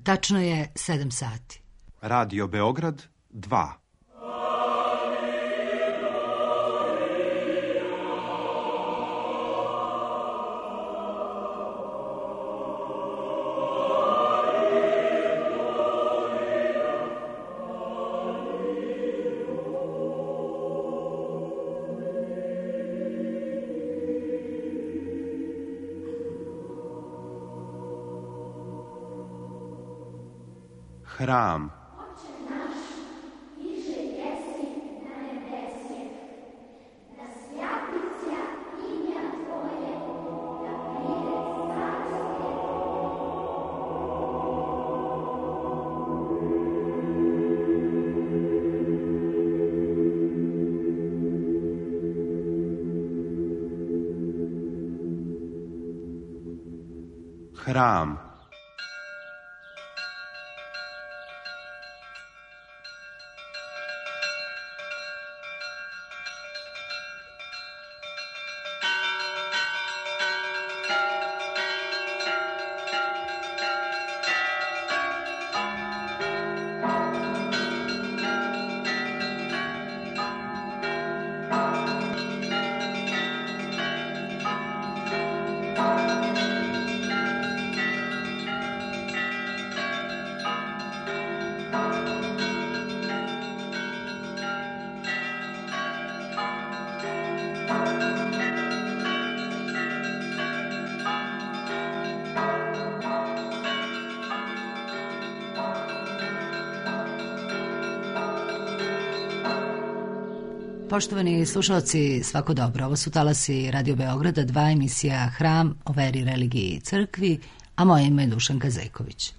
Tačno je 7 sati. Radio Beograd 2. Hram. Hram. Poštovani slušalci, svako dobro. Ovo su talasi Radio Beograda 2, emisija Hram o veri, religiji i crkvi, a moje ime je Dušanka Zejković.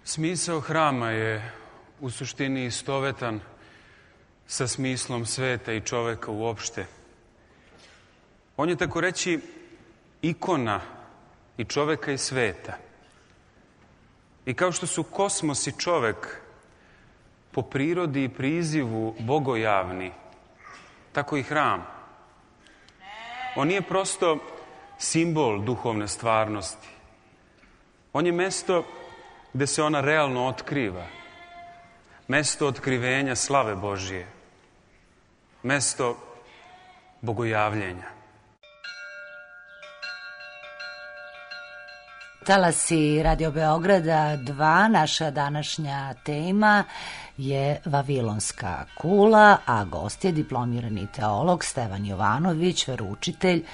Smisao hrama je u suštini istovetan sa smislom sveta i čoveka uopšte. On je tako reći ikona i čoveka i sveta. I kao što su kosmos i čovek po prirodi i prizivu bogojavni, tako i hram. On nije prosto simbol duhovne stvarnosti. On je mesto gde se ona realno otkriva. Mesto otkrivenja slave Božije. Mesto bogojavljenja. Talasi Radio Beograda 2, naša današnja tema je Vavilonska kula, a gost je diplomirani teolog Stevan Jovanović, veroučitelj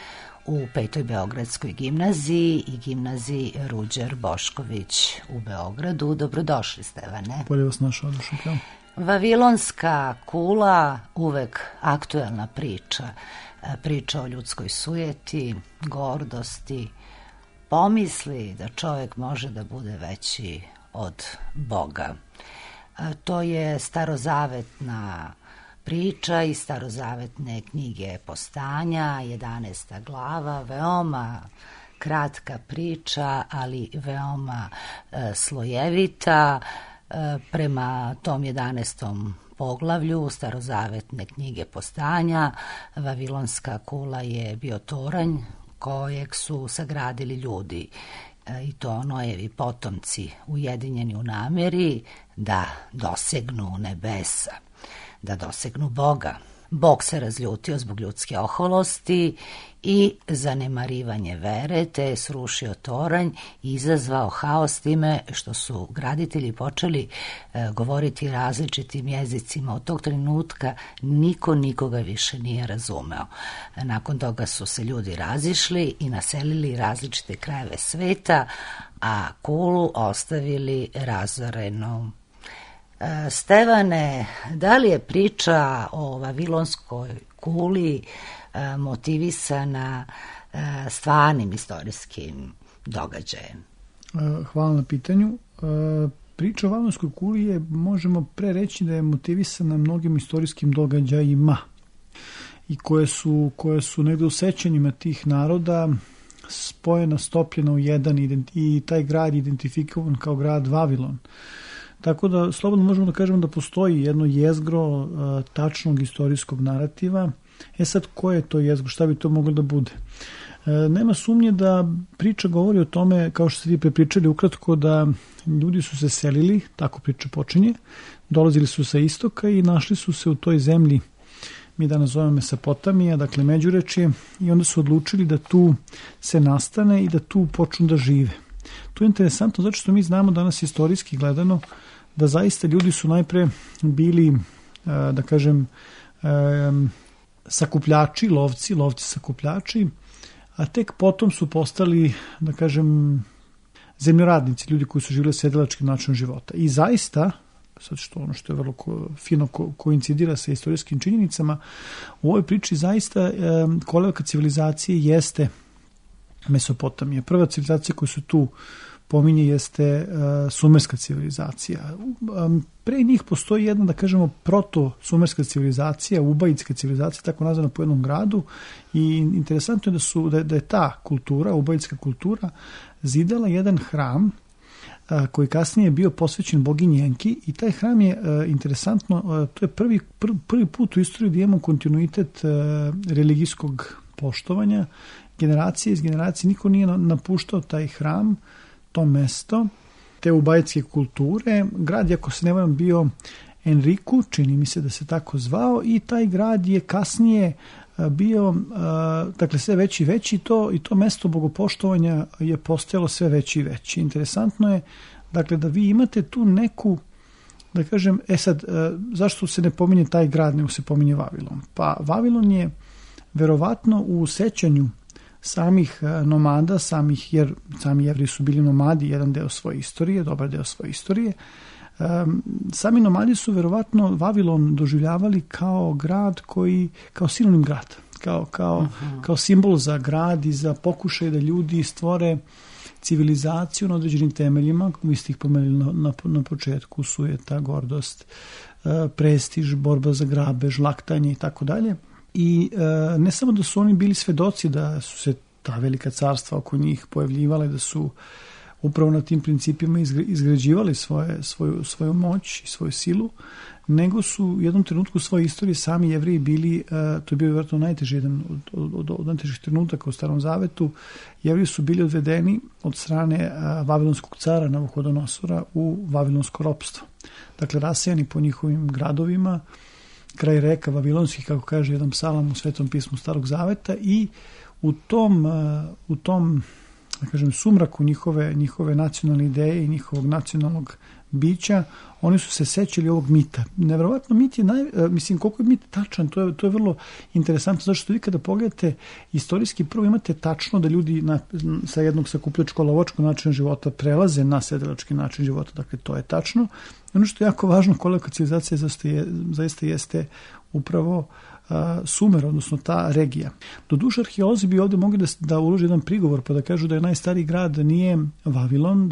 u 5. Beogradskoj gimnaziji i gimnaziji Ruđer Bošković u Beogradu. Dobrodošli, Stevane. Bolje vas našao, Dušanka. Vavilonska kula, uvek aktuelna priča. Priča o ljudskoj sujeti, gordosti, pomisli da čovjek može da bude veći od Boga. To je starozavetna priča iz starozavetne knjige Postanja, 11. glava, veoma kratka priča, ali veoma slojevita. Prema tom 11. poglavlju starozavetne knjige Postanja, Vavilonska kula je bio toranj kojeg su sagradili ljudi, i to Nojevi potomci, ujedinjeni u namjeri da dosegnu nebesa, da dosegnu Boga. Bog se razljutio zbog ljudske oholosti i zanemarivanje vere, te je srušio toranj i izazvao haos time što su graditelji počeli govoriti različitim jezicima. Od tog trenutka niko nikoga više nije razumeo. Nakon toga su se ljudi razišli i naselili različite krajeve sveta, a Kulu ostavili razorenom. Stevane, da li je priča o Vavilonskoj kuli motivisana stvarnim istorijskim događajem? Hvala na pitanju. Priča o Vavilonskoj kuli je, možemo pre reći da je motivisana mnogim istorijskim događajima i koje su negde u sećanjima tih naroda spojena, stopljena u jedan i taj grad identifikovan kao grad Vavilon. Tako da slobodno možemo da kažemo da postoji jedno jezgro tačnog istorijskog narativa. Sad, koje je to jezgro? Šta bi to moglo da bude? Nema sumnje da priča govori o tome, kao što ste vi prepričali ukratko, da ljudi su se selili, tako priča počinje, dolazili su sa istoka i našli su se u toj zemlji, mi danas zovemo Mesopotamija, dakle Međurečje, i onda su odlučili da tu se nastane i da tu počnu da žive. To je interesantno zato što mi znamo danas istorijski gledano da zaista ljudi su najpre bili, da kažem, sakupljači, lovci sakupljači, a tek potom su postali, da kažem, zemljoradnici, ljudi koji su živjeli sedilačkim načinom života. I zaista, sad što ono što je vrlo fino koincidira sa istorijskim činjenicama, u ovoj priči zaista kolevka civilizacije jeste Mesopotamija. Prva civilizacija koju se tu pominje jeste sumerska civilizacija. Pre njih postoji jedna, da kažemo, proto-sumerska civilizacija, ubajitska civilizacija, tako nazvana po jednom gradu, i interesantno je da je ta kultura, ubajitska kultura, zidala jedan hram koji kasnije je bio posvećen boginji Enki, i taj hram je interesantno, to je prvi put u istoriji da imamo kontinuitet religijskog poštovanja, generacije iz generacije, niko nije napuštao taj hram, to mesto, te ubajitske kulture. Grad je, ako se ne varam, bio Enriku, čini mi se da se tako zvao, i taj grad je kasnije bio, dakle, sve veći i veći, i to mesto bogopoštovanja je postojalo sve veći i veći. Interesantno je, dakle, da vi imate tu neku, da kažem, sad, zašto se ne pominje taj grad, nego se pominje Vavilon? Pa Vavilon je verovatno u sećanju samih nomada, jer sami Jevreji su bili nomadi, jedan deo svoje istorije, dobar deo svoje istorije. Sami nomadi su verovatno Vavilon doživljavali kao grad kao sinonim grad, kao simbol za grad i za pokušaj da ljudi stvore civilizaciju na određenim temeljima. Vi ste ih pomenuli na početku, sujeta, gordost, prestiž, borba za grabež, laktanje i tako dalje. I ne samo da su oni bili svedoci da su se ta velika carstva oko njih pojavljivala i da su upravo na tim principima izgrađivali svoju moć i svoju silu, nego su u jednom trenutku u svojoj istoriji sami Jevreji bili, to je bio vjerojatno najteži jedan od najtežih trenutaka u Starom Zavetu, Jevreji su bili odvedeni od strane vavilonskog cara Navuhodonosora u vavilonsko ropstvo. Dakle, rasejani po njihovim gradovima, kraj reka vavilonskih, kako kaže jedan psalam u Svetom pismu Starog Zaveta, i u tom da kažem, sumraku njihove nacionalne ideje i njihovog nacionalnog bića, oni su se sećali ovog mita. Neverovatno, mit je, koliko je mit tačan, to je vrlo interesantno, zato što vi kada pogledate istorijski, prvo imate tačno da ljudi sa jednog sakupljačko-lovačkog načina života prelaze na sedilački način života, dakle to je tačno. Ono što je jako važno, kolevka civilizacija zaista jeste upravo Sumer, odnosno ta regija. Doduše, arheolozi bi ovdje mogli da ulože jedan prigovor pa da kažu da je najstariji grad nije Vavilon,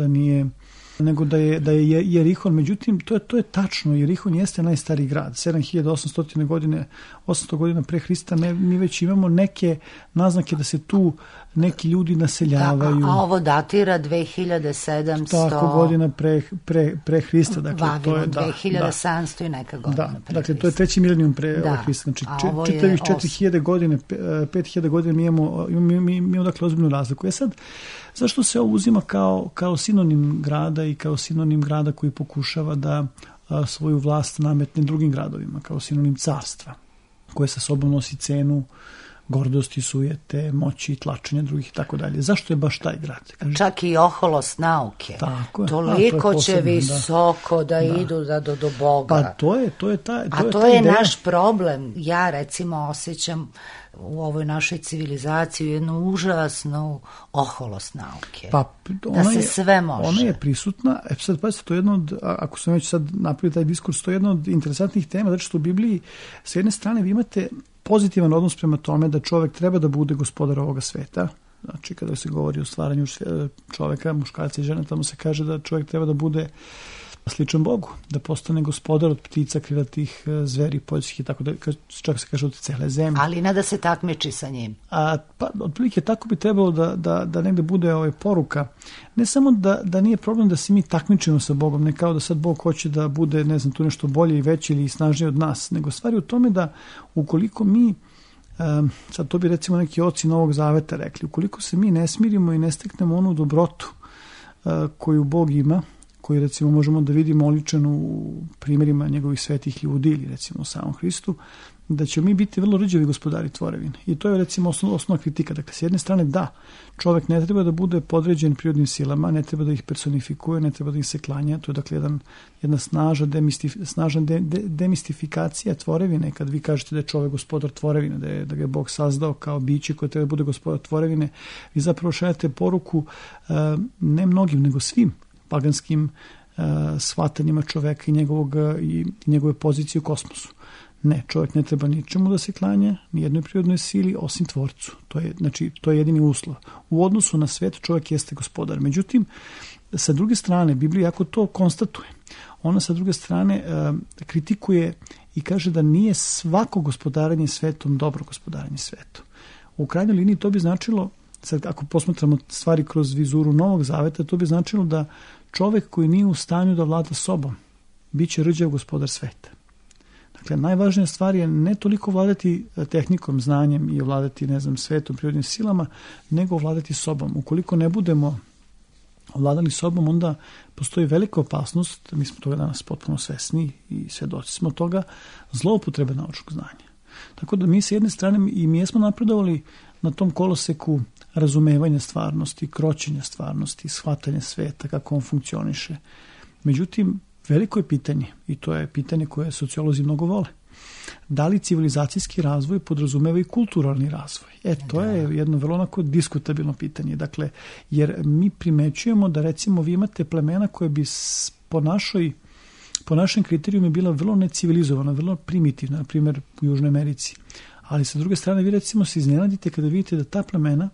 nego da je Jerihon. Međutim, to je tačno. Jerihon jeste najstariji grad. 7800 godina pre Hrista mi već imamo neke naznake da se tu neki ljudi naseljavaju. A ovo datira 2700... Tako, godina pre Hrista. Dakle, Vavilon, 2700 i neka godina pre Hrista. Dakle, to je treći milenijum pre Hrista. Znači, čitavih 4000 godine, 5000 godina mi imamo dakle ozbiljnu razliku. Sad, zašto se ovo uzima kao sinonim grada i kao sinonim grada koji pokušava da svoju vlast nametne drugim gradovima, kao sinonim carstva? koje sa sobom nosi cenu gordosti, sujete, moći, tlačenja drugih i tako dalje. Zašto je baš taj grad? Čak i oholost nauke. Tako je. Toliko će visoko da idu do Boga. Pa to je to je naš problem. Ja recimo osjećam u ovoj našoj civilizaciji jednu užasnu oholost nauke. Pa, da se sve može. Ona je prisutna. Sad pazite, to je jedno od, ako sam već sad napravio taj diskurs, to je jedna od interesantnih tema, zato što u Bibliji s jedne strane vi imate pozitivan odnos prema tome da čovek treba da bude gospodar ovoga sveta. Znači, kada se govori o stvaranju čoveka, muškarca i žene, tamo se kaže da čovek treba da bude sličan Bogu, da postane gospodar od ptica, krilatih, zveri, poljskih i tako da, čak se kaže od cele zemlje. Ali ne da se takmiči sa njim. Pa, otprilike tako bi trebalo da negde bude poruka. Ne samo da nije problem da se mi takmičimo sa Bogom, ne kao da sad Bog hoće da bude, ne znam, tu nešto bolje i veće ili snažnije od nas, nego stvari u tome da ukoliko mi, sad to bi recimo neki oci Novog Zaveta rekli, ukoliko se mi ne smirimo i ne steknemo onu dobrotu koju Bog ima, koju recimo možemo da vidimo oličenu u primjerima njegovih svetih ljudi ili recimo u samom Hristu, da ćemo mi biti vrlo rđavi gospodari tvorevine. I to je recimo osnovna kritika. Dakle, s jedne strane da, čovek ne treba da bude podređen prirodnim silama, ne treba da ih personifikuje, ne treba da ih se klanja. To je dakle jedna snažna demistifikacija tvorevine. Kad vi kažete da je čovek gospodar tvorevine, da ga je Bog sazdao kao biće koje treba da bude gospodar tvorevine, vi zapravo šaljate poruku ne mnogim, nego svim paganskim shvatanjima čoveka i njegove pozicije u kosmosu. Ne, čovjek ne treba ničemu da se klanja, ni jednoj prirodnoj sili, osim tvorcu. To je jedini uslov. U odnosu na svet čovjek jeste gospodar. Međutim, sa druge strane, Biblija jako to konstatuje. Ona sa druge strane kritikuje i kaže da nije svako gospodarenje svetom dobro gospodarenje svetom. U krajnjoj liniji to bi značilo, sad ako posmatramo stvari kroz vizuru Novog Zaveta, to bi značilo da čovjek koji nije u stanju da vlada sobom, bit će rđav gospodar sveta. Dakle, najvažnija stvar je ne toliko vladati tehnikom, znanjem i vladati, ne znam, svetom, prirodnim silama, nego vladati sobom. Ukoliko ne budemo vladali sobom, onda postoji velika opasnost, mi smo toga danas potpuno svesni i svedoci smo toga, zloupotrebe naučnog znanja. Tako da mi s jedne strane i mi jesmo napredovali na tom koloseku razumevanja stvarnosti, kroćenja stvarnosti, shvatanja sveta, kako on funkcioniše. Međutim, veliko je pitanje, i to je pitanje koje sociolozi mnogo vole. Da li civilizacijski razvoj podrazumeva i kulturalni razvoj? To je jedno vrlo onako diskutabilno pitanje. Dakle, jer mi primećujemo da recimo vi imate plemena koje bi po našem kriterijumi bila vrlo necivilizovana, vrlo primitivna, na primjer u Južnoj Americi. Ali sa druge strane vi recimo se iznenadite kada vidite da ta plemena,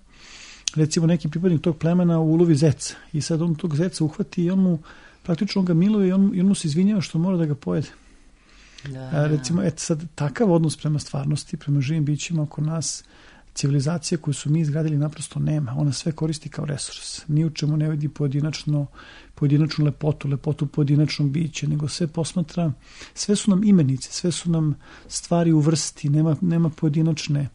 recimo neki pripadnik tog plemena ulovi zeca i sad on tog zeca uhvati i on mu praktično ga miluje i on mu se izvinjava što mora da ga pojede. Recimo, sad takav odnos prema stvarnosti, prema živim bićima oko nas, civilizacija koju su mi izgradili naprosto nema. Ona sve koristi kao resurs. Ni u čemu ne vidi pojedinačnu lepotu pojedinačnog bića, nego sve posmatra, sve su nam imenice, sve su nam stvari u vrsti, nema pojedinačne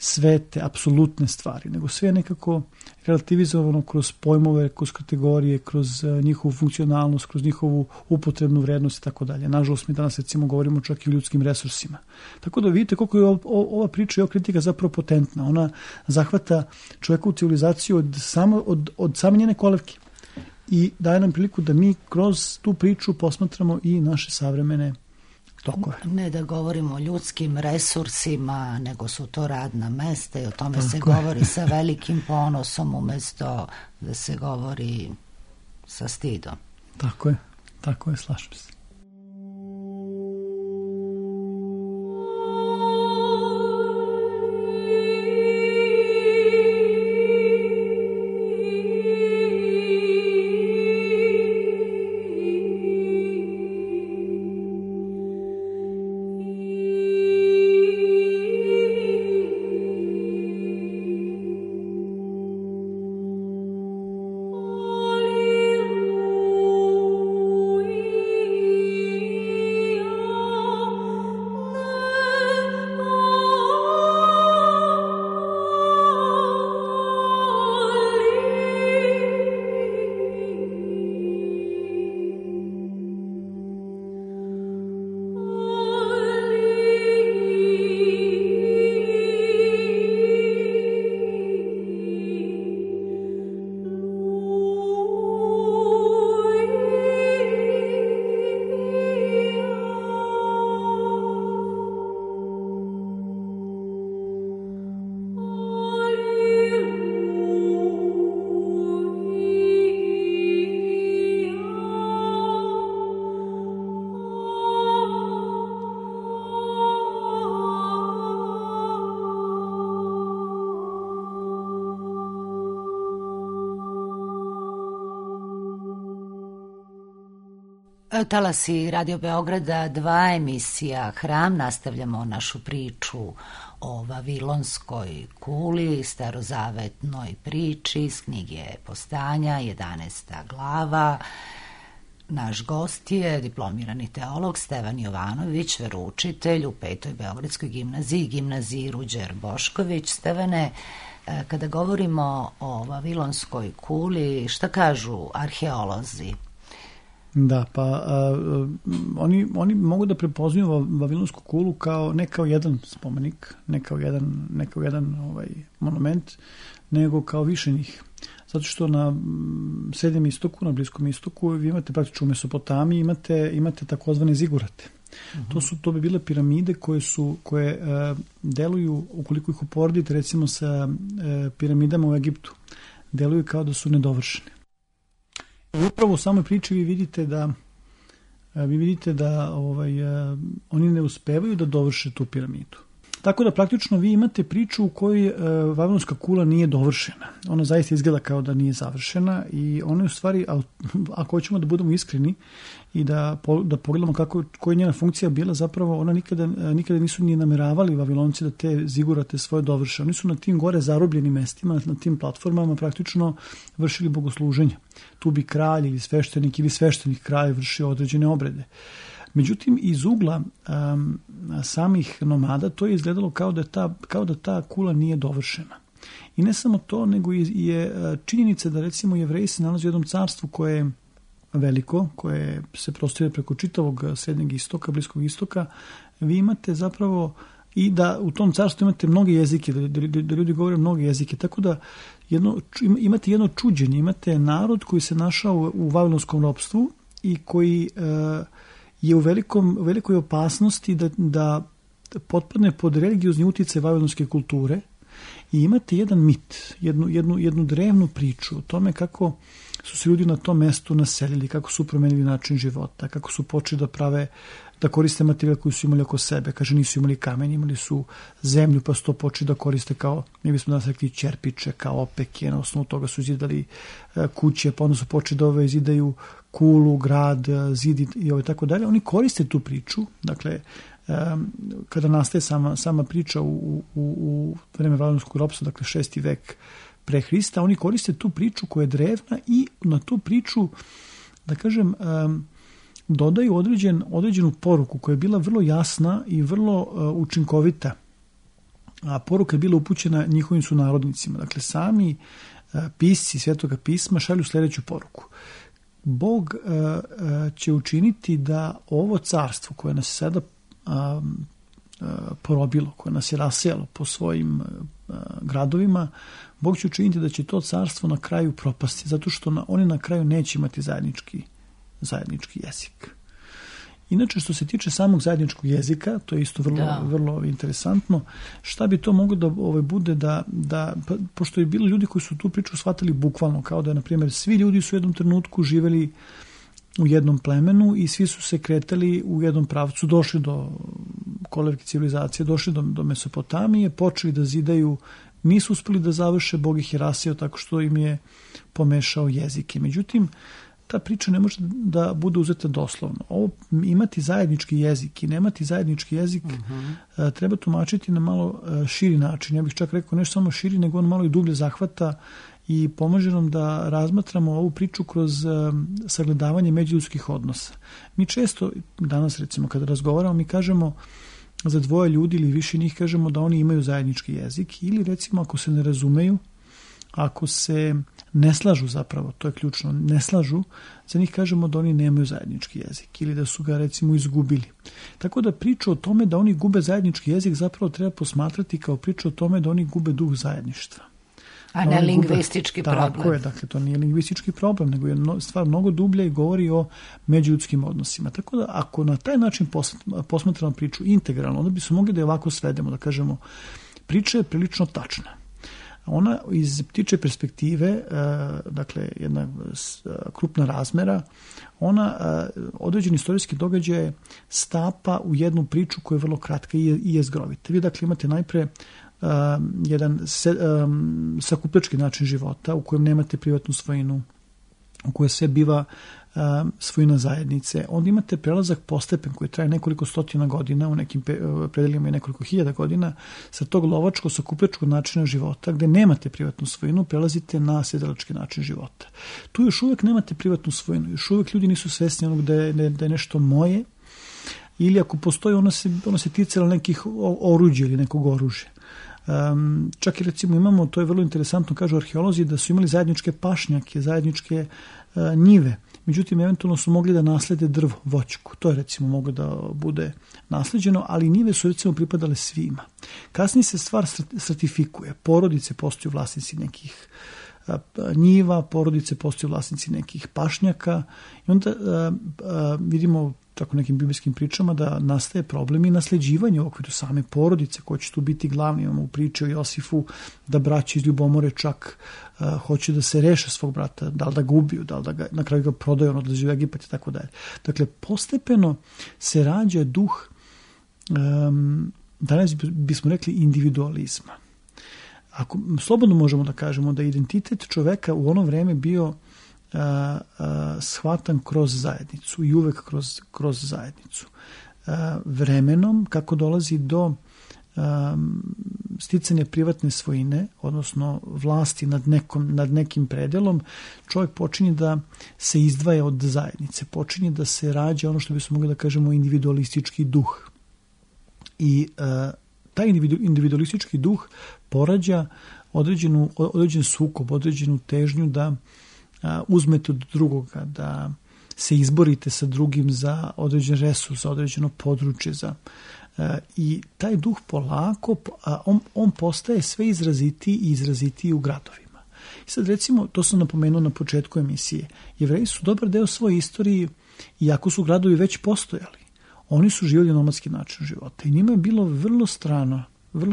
svete, apsolutne stvari, nego sve je nekako relativizovano kroz pojmove, kroz kategorije, kroz njihovu funkcionalnost, kroz njihovu upotrebnu vrednost i tako dalje. Nažalost, mi danas recimo govorimo čak i o ljudskim resursima. Tako da vidite koliko je ova priča i ova kritika zapravo potentna. Ona zahvata čovjekovu civilizaciju od same njene kolevke i daje nam priliku da mi kroz tu priču posmatramo i naše savremene tokove. Ne da govorimo o ljudskim resursima, nego su to radna mesta i o tome se govori sa velikim ponosom umjesto da se govori sa stidom. Tako je, slažem se. Talasi Radio Beograda 2, emisija Hram. Nastavljamo našu priču o Vavilonskoj kuli, starozavetnoj priči iz knjige Postanja, 11. glava. Naš gost je diplomirani teolog Stevan Jovanović, veroučitelj u 5. Beogradskoj gimnaziji, gimnaziji Ruđer Bošković. Stevane, kada govorimo o Vavilonskoj kuli, šta kažu arheolozi? Da, pa oni mogu da prepoznaju Vavilonsku kulu ne kao jedan spomenik, ne kao jedan monument, nego kao više njih. Zato što na Srednjem istoku, na Bliskom istoku, vi imate praktično u Mesopotamiji, imate takozvane zigurate. To bi bile piramide koje deluju, ukoliko ih uporedite recimo sa piramidama u Egiptu, deluju kao da su nedovršene. I upravo u samoj priči vi vidite da oni ne uspevaju da dovrše tu piramidu. Tako da praktično vi imate priču u kojoj Vavilonska kula nije dovršena. Ona zaista izgleda kao da nije završena i ona je u stvari, ako hoćemo da budemo iskreni i da pogledamo koja je njena funkcija bila, zapravo ona nikada nisu ni nameravali Vavilonci da te zigurate svoje dovrše. Oni su na tim gore zarobljenim mestima, na tim platformama praktično vršili bogosluženje. Tu bi kralj ili sveštenik kralj vršio određene obrede. Međutim, iz ugla samih nomada to je izgledalo kao da ta kula nije dovršena. I ne samo to, nego je činjenica da recimo Jevreji se nalaze u jednom carstvu koje je veliko, koje se prostire preko čitavog Srednjeg istoka, Bliskog istoka. Vi imate zapravo i da u tom carstvu imate mnoge jezike, da ljudi govore mnoge jezike, tako da imate jedno čuđenje, imate narod koji se našao u vavilonskom ropstvu i koji je u velikoj opasnosti da potpadne pod religiozni uticaj vavilonske kulture i imate jedan mit, jednu drevnu priču o tome kako su se ljudi na tom mestu naselili, kako su promenili način života, kako su počeli da koriste materijal koji su imali oko sebe. Kaže, nisu imali kamen, imali su zemlju, pa su to počeli da koriste kao, mi bismo danas rekli, čerpiče, kao opeke, na osnovu toga su izidali kuće, pa onda su počeli da izidaju kulu, grad, zid i tako dalje. Oni koriste tu priču, dakle, kada nastaje sama priča u vreme vavilonskog ropstva, dakle 6. vek pre Hrista, oni koriste tu priču koja je drevna i na tu priču, da kažem, dodaju određenu poruku koja je bila vrlo jasna i vrlo učinkovita. A poruka je bila upućena njihovim sunarodnicima. Dakle, sami pisci Svetoga pisma šalju sljedeću poruku. Bog će učiniti da ovo carstvo koje nas sada porobilo, koje nas je rasejalo po svojim gradovima, Bog će učiniti da će to carstvo na kraju propasti, zato što oni na kraju neće imati zajednički jezik. Inače, što se tiče samog zajedničkog jezika, to je isto vrlo interesantno. Šta bi to moglo da bude pošto je bilo ljudi koji su tu priču shvatili bukvalno, kao da, na primjer, svi ljudi su u jednom trenutku živeli u jednom plemenu i svi su se kretali u jednom pravcu, došli do kolevke civilizacije, došli do Mesopotamije, počeli da zidaju, nisu uspeli da završe, Bog ih je rasijao tako što im je pomešao jezike. Međutim, ta priča ne može da bude uzeta doslovno. Ovo imati zajednički jezik i nemati zajednički jezik treba tumačiti na malo širi način. Ja bih čak rekao ne samo širi, nego on malo i dublje zahvata i pomaže nam da razmatramo ovu priču kroz sagledavanje međuljudskih odnosa. Mi često danas, recimo, kada razgovaramo, mi kažemo za dvoje ljudi ili više njih, kažemo da oni imaju zajednički jezik, ili recimo ako se ne razumeju, ako se ne slažu, zapravo, to je ključno, ne slažu, za njih kažemo da oni nemaju zajednički jezik ili da su ga recimo izgubili. Tako da priču o tome da oni gube zajednički jezik zapravo treba posmatrati kao priču o tome da oni gube duh zajedništva. A ne lingvistički problem. Tako je, dakle to nije lingvistički problem, nego je stvar mnogo dublja i govori o međuljudskim odnosima. Tako da ako na taj način posmatramo priču integralno, onda bi se mogli da je ovako svedemo, da kažemo priča je prilično tačna. Ona iz ptiče perspektive, dakle jedna krupna razmera, ona određeni istorijski događaj stapa u jednu priču koja je vrlo kratka i jezgrovita. Vi dakle imate najpre jedan sakupljački način života u kojem nemate privatnu svojinu, u kojoj sve biva svojina zajednice. Onda imate prelazak postepen koji traje nekoliko stotina godina, u nekim predelima i nekoliko hiljada godina, sa tog lovačko-sakupljačkog načina života, gde nemate privatnu svojinu, prelazite na sedelački način života. Tu još uvek nemate privatnu svojinu, još uvek ljudi nisu svesni onog da je nešto moje, ili ako postoji, ono se ticalo nekih oruđa ili nekog oružja. Čak i recimo imamo, to je vrlo interesantno, kažu arheolozi, da su imali zajedničke pašnjake, zajedničke njive. Međutim, eventualno su mogli da naslede drvo, voćku. To je recimo moglo da bude nasleđeno, ali njive su recimo pripadale svima. Kasnije se stvar stratifikuje. Porodice postaju vlasnici nekih njiva, porodice postaju vlasnici nekih pašnjaka i onda vidimo tako nekim biblijskim pričama da nastaje problem i nasleđivanje u okviru same porodice koji će tu biti glavni. Imamo u priči o Josifu da braća iz ljubomore čak hoće da se reše svog brata, da li da ga ubiju, da li da ga na kraju ga prodaju, on odlazi u Egipat i tako dalje. Dakle, postepeno se rađa duh, danas bismo rekli, individualizma. Ako slobodno možemo da kažemo da identitet čoveka u ono vreme bio shvatan kroz zajednicu i uvek kroz zajednicu. Vremenom, kako dolazi do sticanja privatne svojine, odnosno vlasti nad nekim predelom, čovjek počinje da se izdvaja od zajednice, počinje da se rađa ono što bismo mogli da kažemo individualistički duh. I taj individualistički duh porađa određen sukob, određenu težnju da uzmete od drugoga, da se izborite sa drugim za određen resurs, za određeno područje. I taj duh polako, on postaje sve izrazitiji i izrazitiji u gradovima. I sad recimo, to sam napomenuo na početku emisije, Jevreji su dobar deo svoje istorije, iako su gradovi već postojali, oni su živjeli nomadski način života i njima je bilo vrlo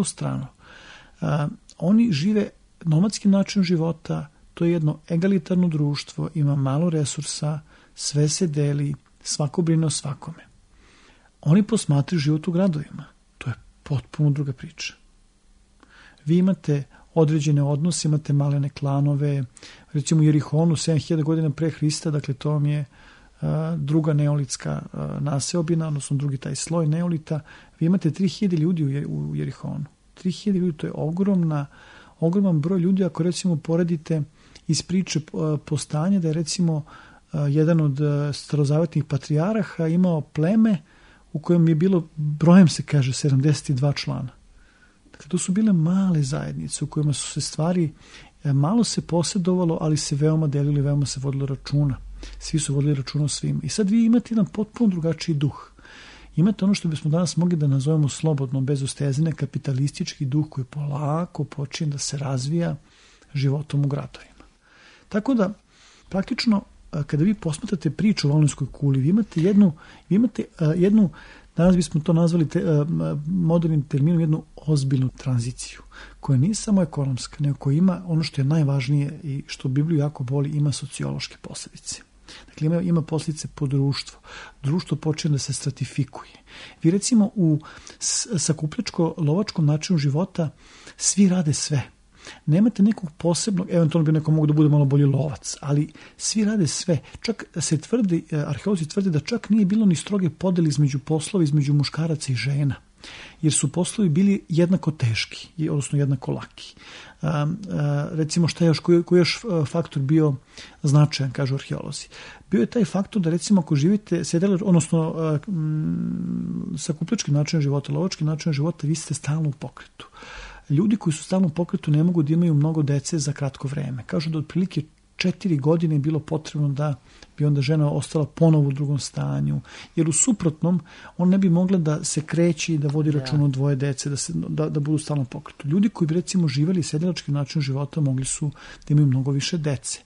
strano. Oni žive nomadski način života, to je jedno egalitarno društvo, ima malo resursa, sve se deli, svako brine o svakome. Oni posmatraju život u gradovima. To je potpuno druga priča. Vi imate određene odnose, imate malene klanove, recimo u Jerihonu 7000 godina pre Hrista, dakle to vam je druga neolitska naseobina, odnosno drugi taj sloj neolita. Vi imate 3000 ljudi u Jerihonu. 3000 ljudi, to je ogroman broj ljudi, ako recimo poredite iz priče postanja da je recimo jedan od starozavetnih patrijaraha imao pleme u kojem je bilo, brojem se kaže, 72 člana. Dakle, to su bile male zajednice u kojima su se stvari, malo se posjedovalo, ali se veoma delili, veoma se vodilo računa. Svi su vodili računa o svim. I sad vi imate jedan potpuno drugačiji duh. Imate ono što bismo danas mogli da nazovemo slobodno, bez ustezine, kapitalistički duh koji polako počinje da se razvija životom u gradovima. Tako da, praktično, kada vi posmatrate priču o Vavilonskoj kuli, vi imate jednu, danas bismo to nazvali modernim terminom, jednu ozbiljnu tranziciju, koja nije samo ekonomska, nego koja ima ono što je najvažnije i što Bibliju jako boli, ima sociološke posljedice. Dakle, ima posljedice po društvu. Društvo počinje da se stratifikuje. Vi recimo u sakupljačko-lovačkom načinu života svi rade sve. Nemate nekog posebnog, eventualno bi neko mogu da bude malo bolji lovac, ali svi rade sve. Čak se tvrdi, arheolozi tvrde da čak nije bilo ni stroge podeli između poslova, između muškaraca i žena, jer su poslovi bili jednako teški, odnosno jednako laki. Recimo šta je još, koji je još faktor bio značajan, kažu arheolozi. Bio je taj faktor da recimo ako živite odnosno sakupljački način života, lovački način života, vi ste stalno u pokretu. Ljudi koji su stalno u pokretu ne mogu da imaju mnogo dece za kratko vreme. Kažu da otprilike 4 godine je bilo potrebno da bi onda žena ostala ponovo u drugom stanju, jer u suprotnom on ne bi mogla da se kreće i da vodi račun o dvoje dece, da budu stalno u pokretu. Ljudi koji bi recimo živjeli sedelački način života mogli su da imaju mnogo više dece.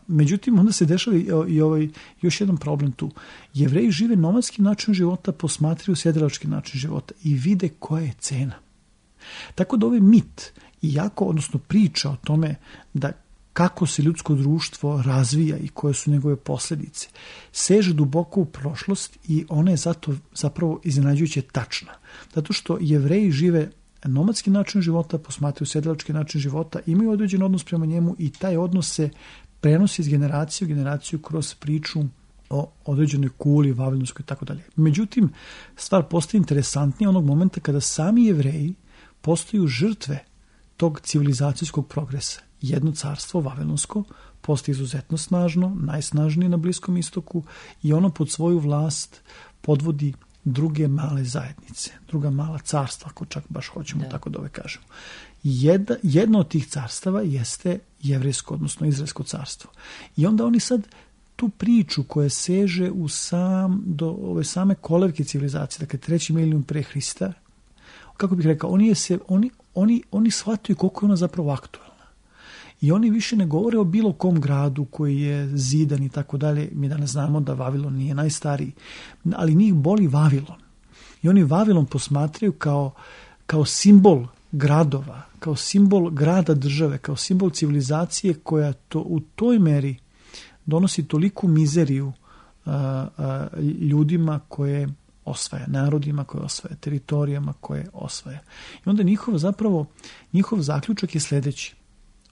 Međutim, onda se dešava i još jedan problem tu. Jevreji žive nomadski način života, posmatraju sedelački način života i vide koja je cena. Tako da ovaj mit odnosno priča o tome da kako se ljudsko društvo razvija i koje su njegove posljedice, seže duboko u prošlost i ona je zato zapravo iznenađujuće tačna. Zato što Jevreji žive nomadski način života, posmatraju sedelački način života, imaju određen odnos prema njemu i taj odnos se prenosi iz generacije u generaciju kroz priču o određenoj kuli, vavilonskoj i tako dalje. Međutim, stvar postaje interesantnija onog momenta kada sami Jevreji postaju žrtve tog civilizacijskog progresa. Jedno carstvo, vavilonsko, postaje izuzetno snažno, najsnažnije na Bliskom istoku i ono pod svoju vlast podvodi druge male zajednice, druga mala carstva, ako čak baš hoćemo tako da kažemo. Jedno od tih carstava jeste jevrejsko, odnosno izraelsko carstvo. I onda oni sad tu priču koja seže do ove same kolevke civilizacije, dakle 3. milenijum pre Hrista, kako bih rekao, oni shvataju koliko je ona zapravo aktualna. I oni više ne govore o bilo kom gradu koji je zidan i tako dalje. Mi danas znamo da Vavilon nije najstariji, ali njih boli Vavilon. I oni Vavilon posmatraju kao simbol gradova, kao simbol grada države, kao simbol civilizacije koja u toj meri donosi toliku mizeriju ljudima koje osvaja, narodima koje osvaja, teritorijama koje osvaja. I onda njihov zaključak je sljedeći.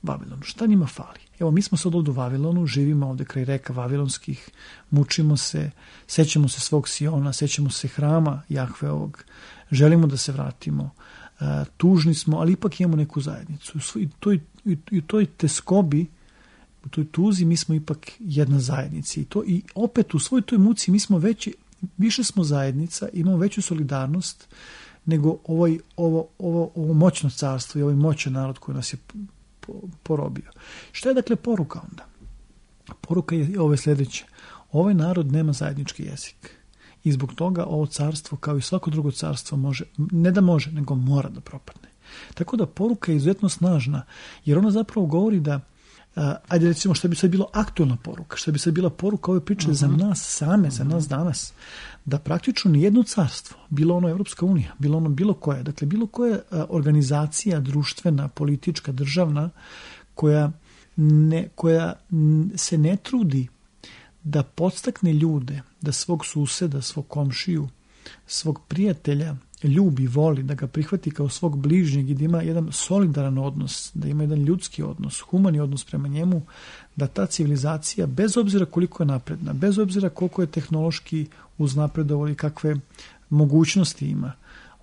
Vavilonu. Šta njima fali? Evo, mi smo sad ovdje u Vavilonu, živimo ovdje kraj reka Vavilonskih, mučimo se, sećamo se svog Siona, sećamo se hrama Jahveovog, želimo da se vratimo, tužni smo, ali ipak imamo neku zajednicu. I toj teskobi, u toj tuzi mi smo ipak jedna zajednica. I opet u svoj toj muci mi smo više smo zajednica, imamo veću solidarnost nego ovo moćno carstvo i ovaj moćan narod koji nas je porobio. Šta je dakle poruka onda? Poruka je ove sljedeće. Ovaj narod nema zajednički jezik. I zbog toga ovo carstvo, kao i svako drugo carstvo, nego mora da propadne. Tako da poruka je izuzetno snažna, jer ona zapravo govori da, ajde recimo šta bi sad bilo aktualna poruka, šta bi sad bila poruka ove priče za nas same, za nas danas, da praktično nijedno carstvo, bilo ono Evropska unija, bilo ono bilo koje, dakle bilo koja organizacija društvena, politička, državna, koja se ne trudi da podstakne ljude, da svog suseda, svog komšiju, svog prijatelja ljubi, voli, da ga prihvati kao svog bližnjeg i da ima jedan solidaran odnos, da ima jedan ljudski odnos, humani odnos prema njemu, da ta civilizacija, bez obzira koliko je napredna, bez obzira koliko je tehnološki uznapredovala i kakve mogućnosti ima,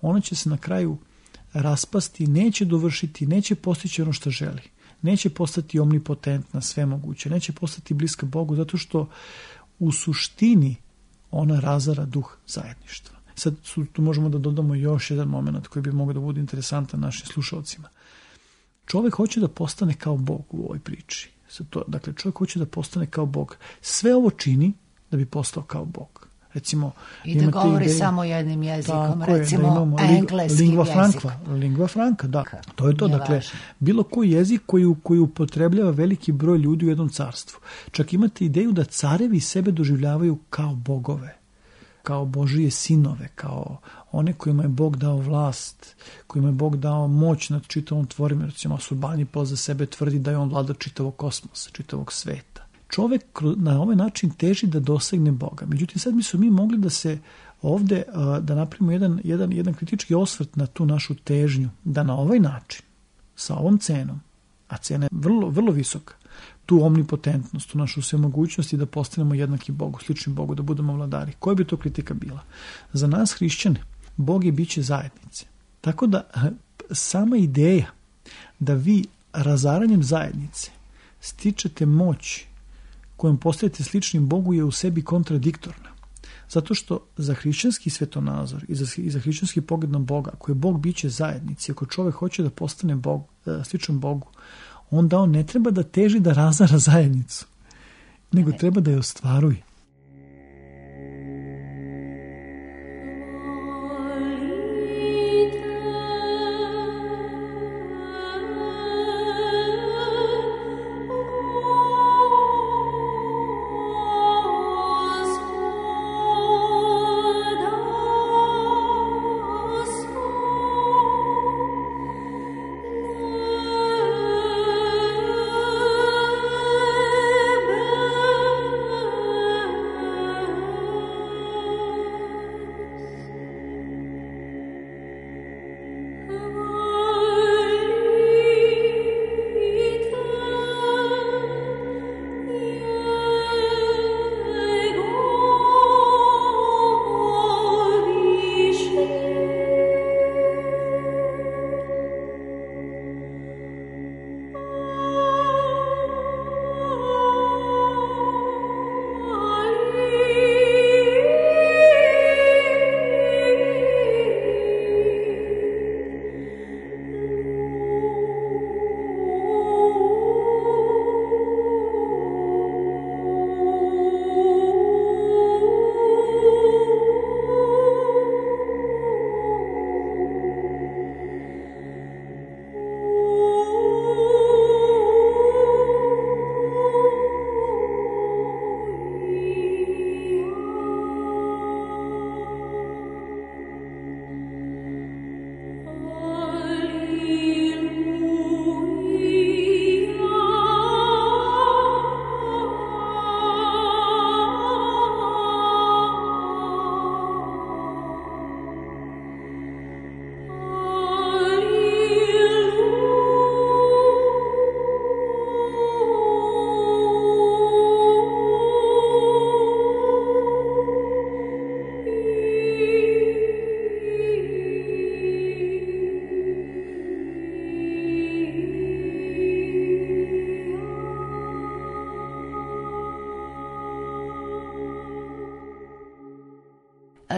ona će se na kraju raspasti, neće dovršiti, neće postići ono što želi. Neće postati omnipotentna, sve moguće, neće postati bliska Bogu, zato što u suštini ona razara duh zajedništva. Sad tu možemo da dodamo još jedan moment koji bi mogao da bude interesantan našim slušalcima. Čovjek hoće da postane kao Bog u ovoj priči. Dakle, čovjek hoće da postane kao Bog. Sve ovo čini da bi postao kao Bog. Recimo, i da govori samo jednim jezikom, recimo engleski jezik. Lingua franca, da. To je to. Dakle, bilo koji jezik koji upotrebljava veliki broj ljudi u jednom carstvu. Čak imate ideju da carevi sebe doživljavaju kao bogove, kao Božije sinove, kao one kojima je Bog dao vlast, kojima je Bog dao moć nad čitavom tvorim. Recimo, Surbanipal za sebe tvrdi da je on vladar čitavog kosmosa, čitavog sveta. Čovjek na ovaj način teži da dosegne Boga. Međutim, sad mi mogli da se ovdje da napravimo jedan kritički osvrt na tu našu težnju, da na ovaj način, sa ovom cenom, a cena je vrlo, vrlo visoka, tu omnipotentnost, tu našu svemogućnost i da postanemo jednaki Bogu, slični Bogu, da budemo vladari. Koja bi to kritika bila? Za nas hrišćane, Bog je biće zajednice. Tako da sama ideja da vi razaranjem zajednice stičete moć kojom postajete sličnim Bogu je u sebi kontradiktorna. Zato što za hrišćanski svetonazor i za hrišćanski pogled na Boga, koji je Bog biće zajednici, ako čovjek hoće da postane sličan Bogu, onda on ne treba da teži da razara zajednicu, nego treba da je ostvaruje.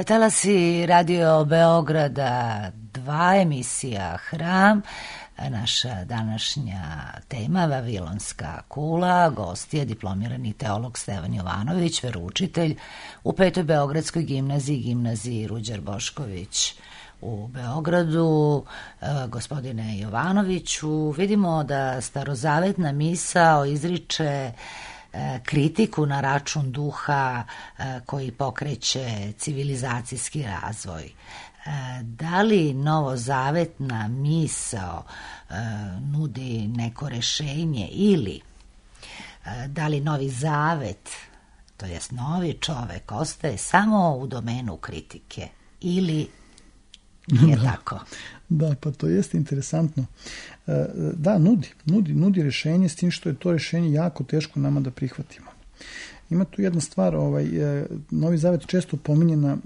Talasi Radio Beograda 2, emisija Hram. Naša današnja tema Vavilonska kula. Gost je diplomirani teolog Stevan Jovanović, veroučitelj u 5. Beogradskoj gimnaziji Ruđer Bošković u Beogradu. Gospodine Jovanoviću, vidimo da starozavetna misao izriče kritiku na račun duha koji pokreće civilizacijski razvoj. Da li novozavetna misao nudi neko rešenje ili da li Novi Zavet, to jest novi čovek, ostaje samo u domenu kritike ili je tako? Da, pa to jeste interesantno. Da, nudi rešenje, s tim što je to rešenje jako teško nama da prihvatimo. Ima tu jedna stvar, Novi Zavet često pominje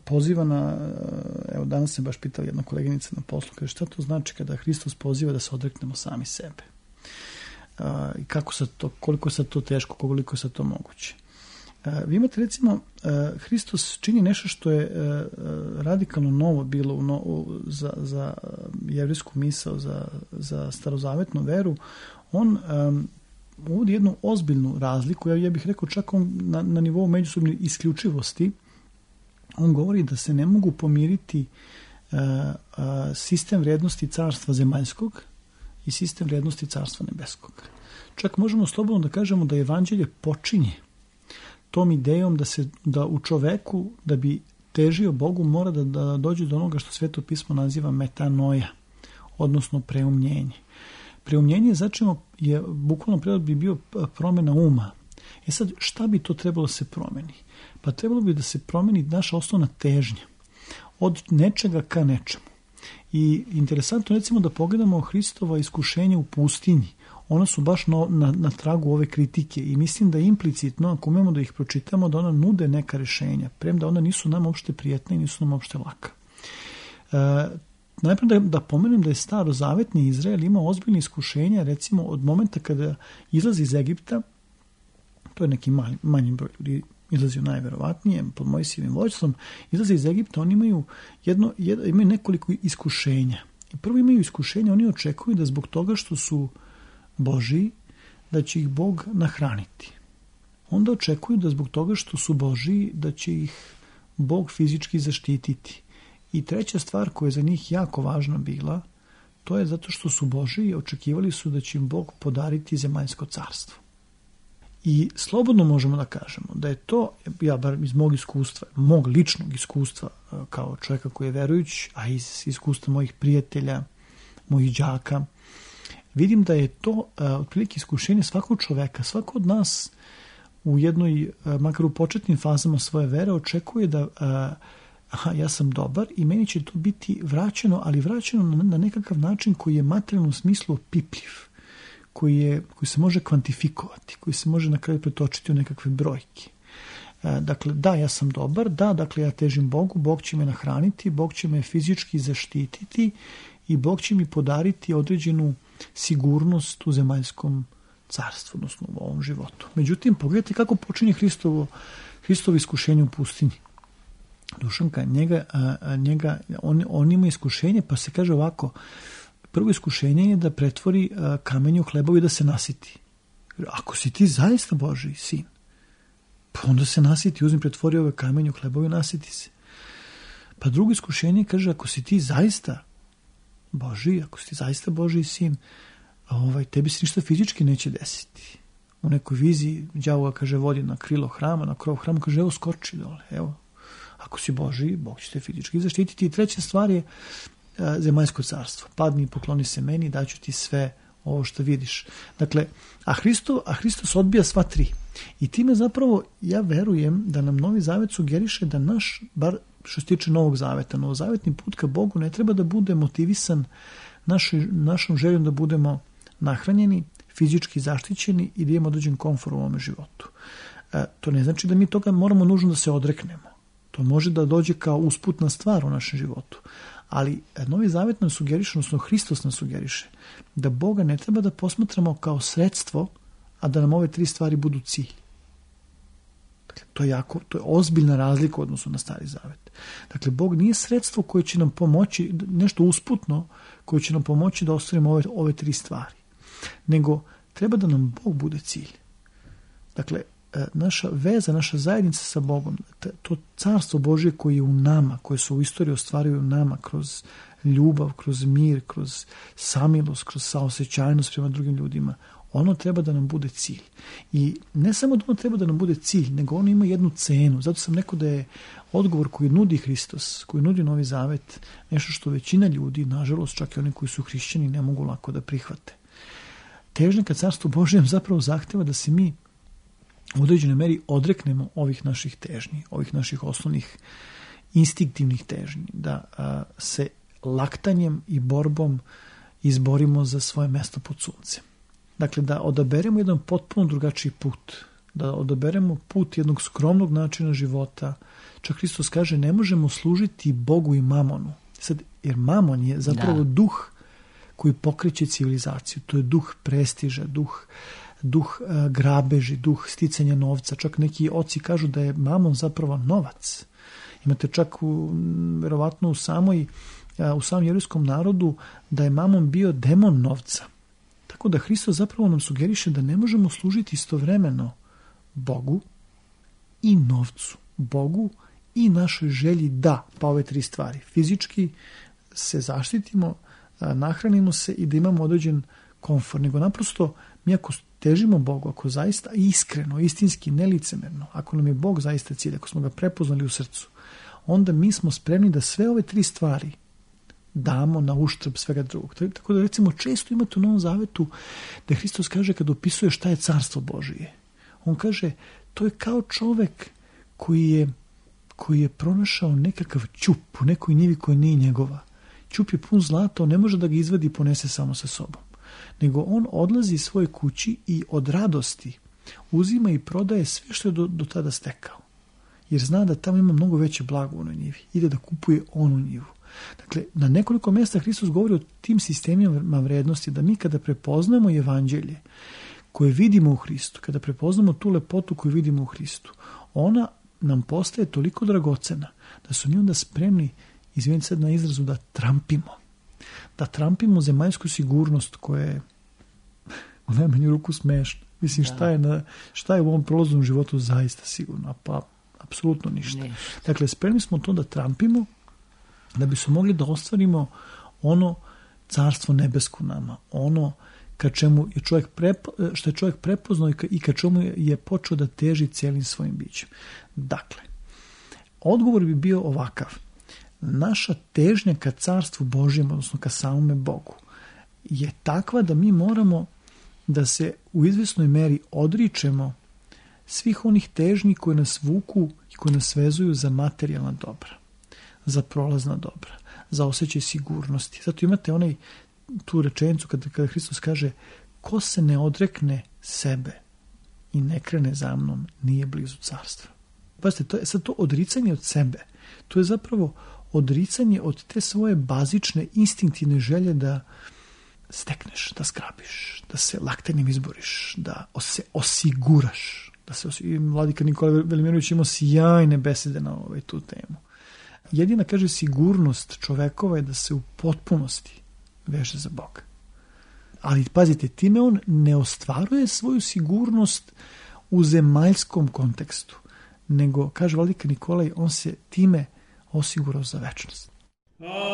poziva na, evo danas se baš pitala jedna koleginica na poslu, kaže šta to znači kada Hristos poziva da se odreknemo sami sebe? I koliko je sad to teško, koliko je sad to moguće? Vi imate recimo, Hristos čini nešto što je radikalno novo bilo za jevrijsku misao, za starozavetnu veru. On uvodi jednu ozbiljnu razliku, ja bih rekao čak na nivou međusobne isključivosti. On govori da se ne mogu pomiriti sistem vrijednosti carstva zemaljskog i sistem vrijednosti carstva nebeskog. Čak možemo slobodno da kažemo da evanđelje počinje tom idejom da u čoveku, da bi težio Bogu, mora da dođe do onoga što Sveto pismo naziva metanoja, odnosno preumljenje. Preumljenje je bukvalno prevod bi bio promjena uma. Sad, šta bi to trebalo se promeni? Pa trebalo bi da se promeni naša osnovna težnja od nečega ka nečemu. I interesantno recimo da pogledamo Hristova iskušenja u pustinji. Ona su baš na tragu ove kritike i mislim da implicitno, ako umemo da ih pročitamo, da ona nude neka rešenja, premda ona nisu nam uopšte prijetna i nisu nam uopšte laka. Najprije da pomenem da je starozavetni Izrael imao ozbiljne iskušenja, recimo od momenta kada izlazi iz Egipta, to je neki manji broj ljudi izlazio najverovatnije, pod Mojsijevim vođstvom, izlazi iz Egipta, oni imaju nekoliko iskušenja. I prvo imaju iskušenja, oni očekuju da zbog toga što su Božiji, da će ih Bog nahraniti. Onda očekuju da zbog toga što su Božiji, da će ih Bog fizički zaštititi. I treća stvar koja je za njih jako važna bila, to je zato što su Božiji, očekivali su da će im Bog podariti zemaljsko carstvo. I slobodno možemo da kažemo da je to, ja bar iz mog ličnog iskustva kao čovjeka koji je verujuć, a iz iskustva mojih prijatelja, mojih đaka, vidim da je to otprilike iskušenje svakog čoveka, svako od nas u jednoj, makar u početnim fazama svoje vere, očekuje da ja sam dobar i meni će to biti vraćeno, ali vraćeno na nekakav način koji je materijalnom smislu opipljiv, koji se može kvantifikovati, koji se može na kraju pretočiti u nekakve brojke. Dakle, da, ja sam dobar, dakle, ja težim Bogu, Bog će me nahraniti, Bog će me fizički zaštititi i Bog će mi podariti određenu sigurnost u zemaljskom carstvu, odnosno u ovom životu. Međutim, pogledajte kako počinje Hristovo iskušenje u pustinji. Dušanka, on ima iskušenje, pa se kaže ovako, prvo iskušenje je da pretvori kamenje u hlebovi i da se nasiti. Ako si ti zaista Božji sin, pa onda se nasiti, pretvori ove kamenje u hlebovi i nasiti se. Pa drugo iskušenje kaže, ako si ti zaista Božji, ako si ti zaista Božji sin, tebi se ništa fizički neće desiti. U nekoj viziji đavo ga, kaže, vodi na krilo hrama, na krov hrama, kaže, evo skoči dole, evo. Ako si Božji, Bog će te fizički zaštititi. I treća stvar je zemaljsko carstvo. Padni i pokloni se meni, daću ti sve ovo što vidiš. Dakle, a Hristos odbija sva tri. I time zapravo ja verujem da nam Novi Zavet sugeriše da naš, bar što se tiče Novog Zaveta, novozavetni put ka Bogu ne treba da bude motivisan našom željom da budemo nahranjeni, fizički zaštićeni i da imamo određen komfor u ovome životu. To ne znači da mi toga moramo nužno da se odreknemo. To može da dođe kao usputna stvar u našem životu. Ali Novi Zavet nam sugeriše, odnosno Hristos nam sugeriše, da Boga ne treba da posmatramo kao sredstvo, a da nam ove tri stvari budu cilj. Dakle, to je ozbiljna razlika u odnosu na Stari Zavet. Dakle, Bog nije sredstvo koje će nam pomoći, nešto usputno, koje će nam pomoći da ostvarimo ove tri stvari. Nego, treba da nam Bog bude cilj. Dakle, naša veza, naša zajednica sa Bogom, to carstvo Božje koje je u nama, koje se u istoriji ostvaruju u nama kroz ljubav, kroz mir, kroz samilost, kroz saosećajnost prema drugim ljudima, ono treba da nam bude cilj. I ne samo da ono treba da nam bude cilj, nego ono ima jednu cenu. Zato sam rekao da je odgovor koji nudi Hristos, koji nudi Novi Zavet, nešto što većina ljudi, nažalost čak i oni koji su hrišćani, ne mogu lako da prihvate. Težnja ka carstvu Božjem zapravo zahteva da se mi u određenoj meri odreknemo ovih naših težnji, ovih naših osnovnih instinktivnih težnji, da se laktanjem i borbom izborimo za svoje mesto pod suncem. Dakle, da odaberemo jedan potpuno drugačiji put, da odaberemo put jednog skromnog načina života. Čak Hristos kaže, ne možemo služiti Bogu i mamonu. Sad, jer mamon je zapravo duh koji pokreće civilizaciju. To je duh prestiža, duh grabeži, duh sticanja novca. Čak neki oci kažu da je mamon zapravo novac. Imate čak verovatno u samom jevrejskom narodu da je mamon bio demon novca. Tako da Hristos zapravo nam sugeriše da ne možemo služiti istovremeno Bogu i novcu. Bogu i našoj želji da, pa ove tri stvari. Fizički se zaštitimo, nahranimo se i da imamo određen komfort. Nego naprosto mi ako težimo Bogu, ako zaista iskreno, istinski, nelicemerno, ako nam je Bog zaista cilj, ako smo ga prepoznali u srcu, onda mi smo spremni da sve ove tri stvari damo na uštrb svega drugog. Tako da recimo često imate u Novom Zavetu da Hristos kaže kad opisuje šta je carstvo Božije. On kaže to je kao čovek koji je pronašao nekakav ćup u nekoj njivi koja nije njegova. Ćup je pun zlata, on ne može da ga izvadi i ponese samo sa sobom. Nego on odlazi iz svoje kući i od radosti uzima i prodaje sve što je do tada stekao. Jer zna da tamo ima mnogo veće blago u onoj njivi. Ide da kupuje onu njivu. Dakle, na nekoliko mjesta Hristos govori o tim sistemima vrednosti, da mi kada prepoznamo evanđelje koje vidimo u Hristu, kada prepoznamo tu lepotu koju vidimo u Hristu, ona nam postaje toliko dragocena da su mi onda spremni, izvinite sad na izrazu, da trampimo zemaljsku sigurnost koja je u najmanju ruku smešna. Mislim, šta je u ovom prolaznom životu zaista sigurno? Pa, apsolutno ništa. Dakle, spremni smo to da trampimo, da bi smo mogli da ostvarimo ono carstvo nebesko nama, ono ka čemu je što je čovjek prepoznao i ka čemu je počeo da teži cijelim svojim bićem. Dakle, odgovor bi bio ovakav. Naša težnja ka carstvu Božjem, odnosno ka samome Bogu, je takva da mi moramo da se u izvjesnoj meri odričemo svih onih težnji koje nas vuku i koje nas vezuju za materijalna dobra, za prolazna dobra, za osjećaj sigurnosti. Zato imate tu rečenicu kada Hristos kaže ko se ne odrekne sebe i ne krene za mnom nije blizu carstva. Pazite, to je sad to odricanje od sebe. To je zapravo odricanje od te svoje bazične instinktivne želje da stekneš, da zgrabiš, da se laktanjem izboriš, da se osiguraš. Vladika Nikola Velimirović imao sjajne besede na tu temu. Jedina, kaže, sigurnost čovekova je da se u potpunosti veže za Boga. Ali, pazite, time on ne ostvaruje svoju sigurnost u zemaljskom kontekstu, nego, kaže Vladika Nikolaj, on se time osigurao za večnost. Smrti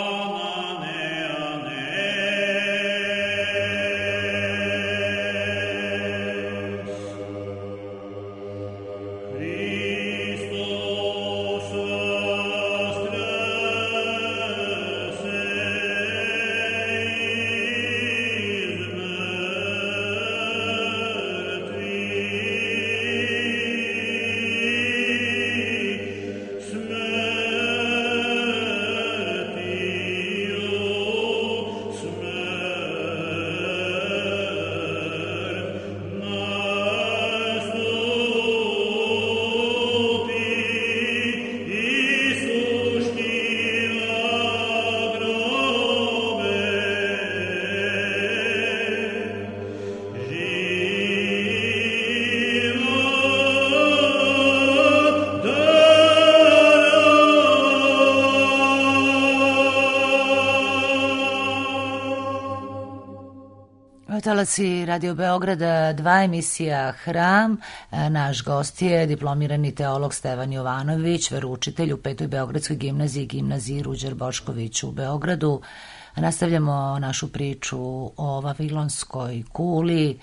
Talaci Radio Beograda, 2 emisija Hram. Naš gost je diplomirani teolog Stevan Jovanović, veroučitelj u 5. Beogradskoj gimnaziji, gimnaziji Ruđer Bošković u Beogradu. Nastavljamo našu priču o Vavilonskoj kuli,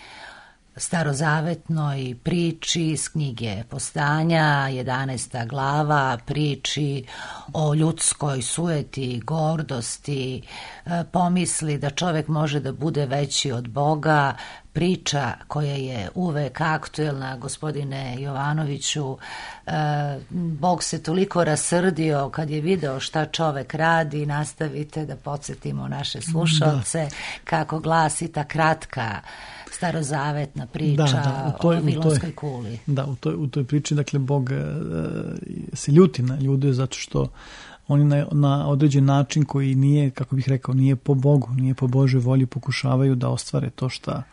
starozavetnoj priči iz knjige Postanja, 11. glava, priči o ljudskoj sujeti, gordosti, pomisli da čovek može da bude veći od Boga, priča koja je uvek aktuelna, gospodine Jovanoviću. Bog se toliko rasrdio kad je video šta čovek radi. Nastavite da podsjetimo naše slušalce kako glasi ta kratka starozavetna priča o Vavilonskoj kuli. Da, u toj priči, dakle, Bog se ljuti na ljude zato što oni na određen način koji nije, kako bih rekao, nije po Bogu, nije po Božoj volji, pokušavaju da ostvare to šta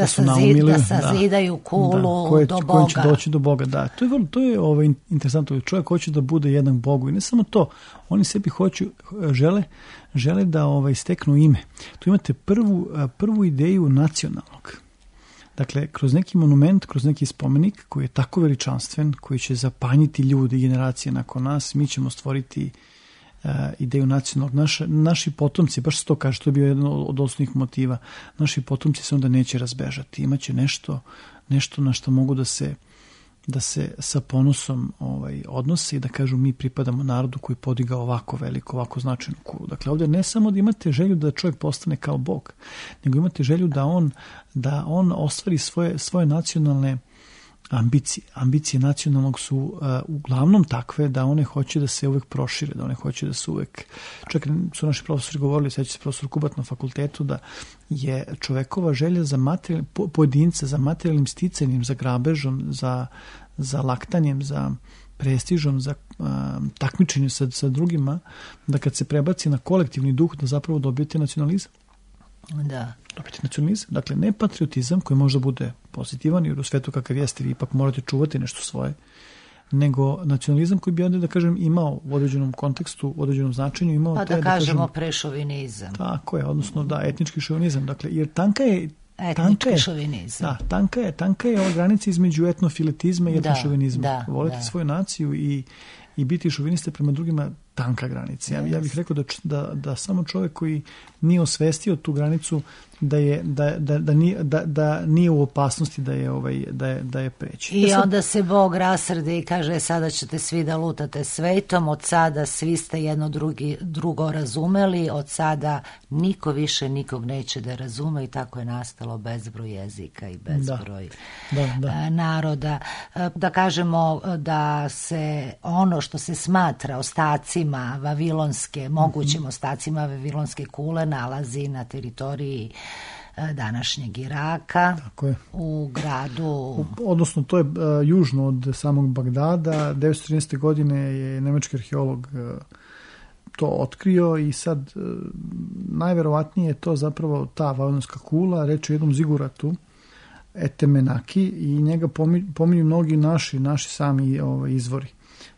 su naumili. Da sazidaju kulu do Boga. Koji će doći do Boga, da. To je interesantno. Čovjek hoće da bude jednak Bogu i ne samo to. Oni sebi žele da steknu ime. Tu imate prvu ideju nacionalnog. Dakle, kroz neki monument, kroz neki spomenik koji je tako veličanstven, koji će zapanjiti ljudi, generacije nakon nas, mi ćemo stvoriti ideju nacionalnog. Naši potomci, baš se to kaže, to je bio jedan od osnovnih motiva, naši potomci se onda neće razbežati. Imaće nešto na što mogu da se sa ponosom odnose i da kažu mi pripadamo narodu koji podigao ovako veliko, ovako značajnu kulu. Dakle, ovdje ne samo da imate želju da čovjek postane kao Bog, nego imate želju da on ostvari svoje nacionalne ambicije. Ambicije nacionalnog su uglavnom takve da one hoće da se uvek prošire, da one hoće da se uvek... Čak su naši profesori govorili, sveća se profesor Kubat na fakultetu, da je čovekova želja za pojedinca, za materijalnim sticanjem, za grabežom, za laktanjem, za prestižom, za takmičenjem sa drugima, da kad se prebaci na kolektivni duh, da zapravo dobijete nacionalizam. Da. Dobiti nacionalizam. Dakle, ne patriotizam koji možda bude pozitivan, jer u svetu kakav jeste vi ipak morate čuvati nešto svoje, nego nacionalizam koji bi onda, da kažem, imao u određenom kontekstu, u određenom značenju, imao... Pa da kažemo prešovinizam. Tako je, odnosno da, etnički šovinizam. Dakle, jer tanka je šovinizam. Da, tanka je ova granica između etnofiletizma i etnošovinizma. Voliti svoju naciju i biti šoviniste prema drugima, tanka granica. Ja bih rekao da samo čovjek koji nije osvestio tu granicu da nije u opasnosti da je preći. I onda se Bog rasrdi i kaže sada ćete svi da lutate svetom, od sada svi ste jedno drugo razumeli, od sada niko više nikog neće da razume i tako je nastalo bezbroj jezika i bezbroj naroda. Da kažemo da se ono što se smatra ostacima vavilonske, mogućim ostacima vavilonske kule nalazi na teritoriji današnjeg Iraka. Tako je. U gradu... Odnosno, to je južno od samog Bagdada. 1913. godine je nemački arheolog to otkrio i sad najverovatnije je to zapravo ta vavilonska kula, reč je o jednom ziguratu, Etemenaki, i njega pominju mnogi naši sami izvori.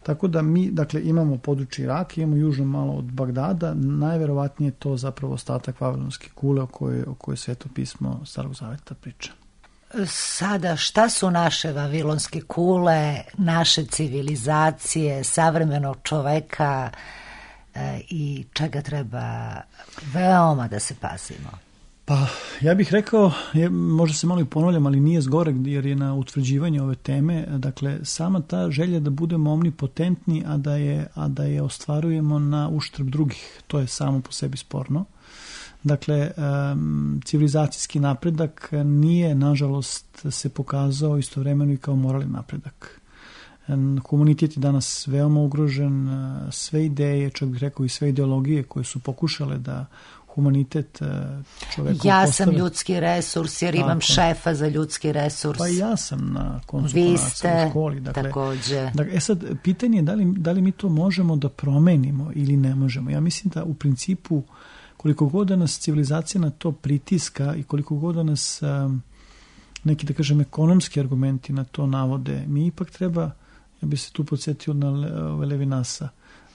Tako da mi, dakle, imamo područje Iraka, imamo južno malo od Bagdada, najverovatnije to zapravo ostatak vavilonske kule o kojoj Sveto pismo Starog zaveta priča. Sada, šta su naše vavilonske kule, naše civilizacije, savremenog čoveka i čega treba veoma da se pazimo? Pa, ja bih rekao, možda se malo i ponavljam, ali nije zgorek jer je na utvrđivanje ove teme, dakle, sama ta želja da budemo omnipotentni, a da je ostvarujemo na uštrb drugih, to je samo po sebi sporno. Dakle, civilizacijski napredak nije, nažalost, se pokazao istovremeno i kao moralni napredak. Komunitet je danas veoma ugrožen, sve ideje, čak bih rekao i sve ideologije koje su pokušale da humanitet čoveku ja sam ljudski resurs jer imam šefa za ljudski resurs. Pa ja sam na koncu vi konaca ste u školi. Dakle, takođe. Dakle, sad, pitanje je da li mi to možemo da promenimo ili ne možemo. Ja mislim da u principu koliko god da nas civilizacija na to pritiska i koliko god da nas neki, da kažem, ekonomski argumenti na to navode, mi ipak treba, ja bih se tu podsjetio na Levinasa,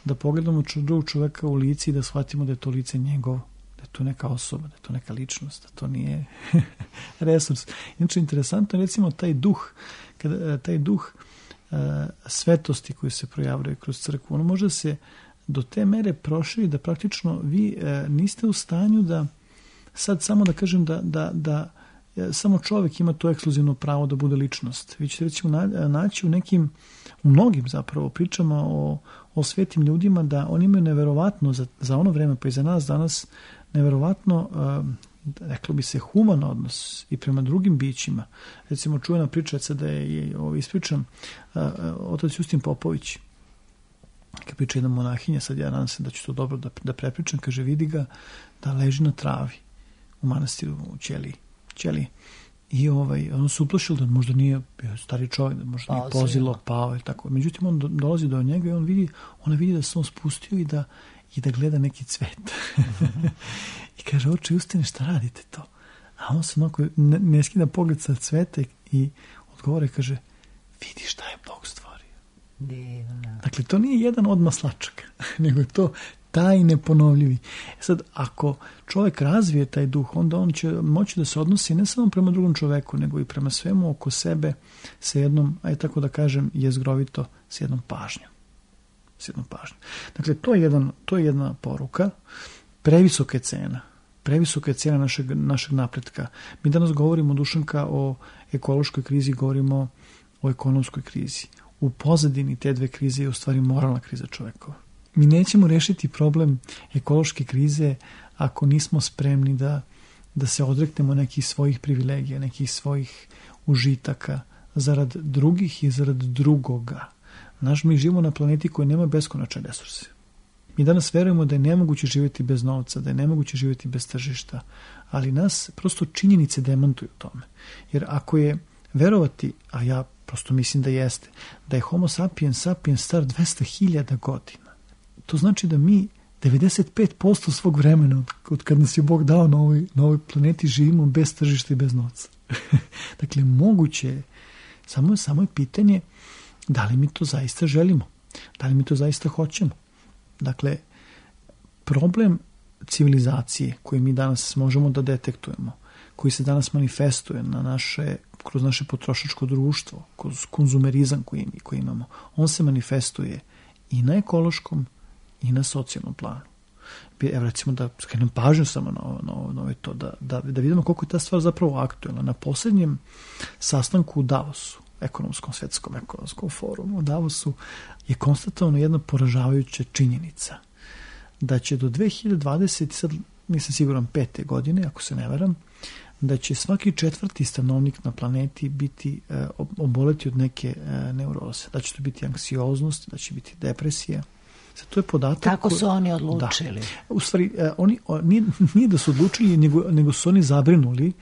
da pogledamo drugog čoveka u lici i da shvatimo da je to lice njegovo, da da je to neka osoba, da je to neka ličnost, da to nije resurs. Inače, interesantno je recimo taj duh svetosti koji se projavljaju kroz crkvu, ono može se do te mere proširi da praktično vi niste u stanju da sad samo da kažem da samo čovjek ima to ekskluzivno pravo da bude ličnost. Vi ćete recimo naći u mnogim zapravo pričama o svetim ljudima da oni imaju neverovatno za ono vreme pa i za nas danas neverovatno reklo bi se human odnos i prema drugim bićima. Recimo čuvena priča da je ispričam otac Justin Popović kad priča jedna monahinja, sad ja nadam se da ću to dobro da prepričam, kaže vidi ga da leži na travi u manastiru u Ćeliji. I on se uplašio da možda nije bio stari čovjek, da možda nije pozilo, pao i tako. Međutim, on dolazi do njega i ona vidi da se on spustio i da gleda neki cvet. I kaže, oče, Justine, šta radite to? A on se onako ne skida pogled sa cveta i odgovore, kaže, vidi šta je Bog stvorio. Divno. Dakle, to nije jedan od maslačaka, nego je to taj neponovljivi. Sad, ako čovjek razvije taj duh, onda on će moći da se odnosi ne samo prema drugom čoveku, nego i prema svemu oko sebe sa jednom, aj tako da kažem, jezgrovito, s jednom pažnjom. Dakle, to je jedna poruka. Previsoka je cena našeg napretka. Mi danas govorimo, Dušanka, o ekološkoj krizi, govorimo o ekonomskoj krizi. U pozadini te dve krize je u stvari moralna kriza čovekova. Mi nećemo rešiti problem ekološke krize ako nismo spremni da se odreknemo nekih svojih privilegija, nekih svojih užitaka zarad drugih i zarad drugoga. Mi živimo na planeti koji nema beskonačne resurse. Mi danas verujemo da je nemoguće živjeti bez novca, da je nemoguće živjeti bez tržišta, ali nas prosto činjenice demantuju tome. Jer ako je verovati, a ja prosto mislim da jeste, da je Homo sapiens star 200.000 godina, to znači da mi 95% svog vremena od kad nas je Bog dao na ovoj planeti živimo bez tržišta i bez novca. Dakle, moguće je, samo je pitanje da li mi to zaista želimo, da li mi to zaista hoćemo. Dakle, problem civilizacije koji mi danas možemo da detektujemo, koji se danas manifestuje kroz naše potrošačko društvo, kroz konzumerizam koji imamo, on se manifestuje i na ekološkom i na socijalnom planu. Evo recimo da skrenem pažnju samo na to, da vidimo koliko je ta stvar zapravo aktuelna. Na posljednjem sastanku u Davosu, svetskom ekonomskom forumu u Davosu, je konstatovano jedna poražavajuća činjenica da će do 2020, sad nisam siguran 5. godine, ako se ne varam, da će svaki 4. stanovnik na planeti biti oboleti od neke neuroze. Da će to biti anksioznost, da će biti depresija. Sad, to je podatak. Tako su oni odlučili. Da. U stvari, nije da su odlučili, nego su oni zabrinuli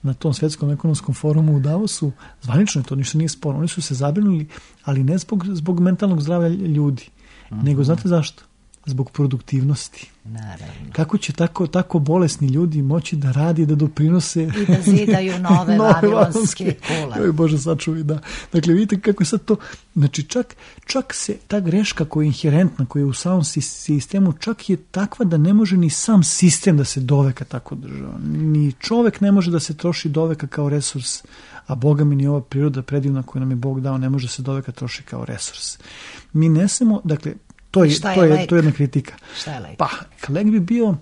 na tom svetskom ekonomskom forumu u Davosu. Zvanično je to, ništa nije sporno. Oni su se zabrinuli, ali ne zbog mentalnog zdravlja ljudi, nego znate zašto? Zbog produktivnosti. Naravno. Kako će tako bolesni ljudi moći da radi, da doprinose i da zidaju nove vavilonske kule. Oj Bože, sačuvaj, da. Dakle, vidite kako je sad to, znači čak se ta greška koja je inherentna, koja je u samom sistemu, čak je takva da ne može ni sam sistem da se doveka tako država. Ni čovek ne može da se troši doveka kao resurs, a Boga mi ni ova priroda predivna koju nam je Bog dao ne može se doveka troši kao resurs. Mi ne samo, dakle, to je jedna kritika. Šta je lek? Pa, lek bi bio,